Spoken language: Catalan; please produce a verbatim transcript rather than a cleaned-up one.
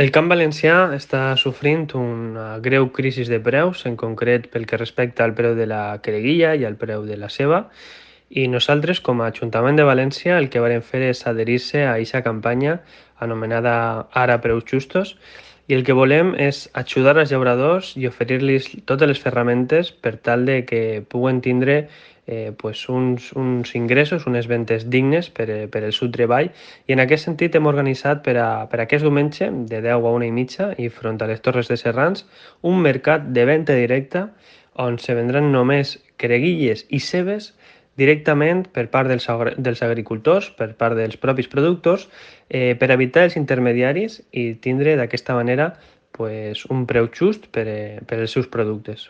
El camp valencià està sofrint una greu crisi de preus, en concret pel que respecta al preu de la quereguilla i al preu de la ceba, i nosaltres, com a Ajuntament de València, el que volem fer és adherir-se a aquesta campanya anomenada Ara Preus Justos, i el que volem és ajudar als llauradors i oferir-los totes les ferramentes per tal de que puguen tindre eh, pues uns, uns ingressos, unes ventes dignes per, eh, per el seu treball, i en aquest sentit hem organitzat per a, per a aquest diumenge de deu a una i mitja i front a les Torres de Serrans un mercat de venda directa on se vendran només creguilles i cebes directament per part dels, dels agricultors, per part dels propis productors, eh, per evitar els intermediaris i tindre d'aquesta manera pues, un preu just per, eh, per als seus productes.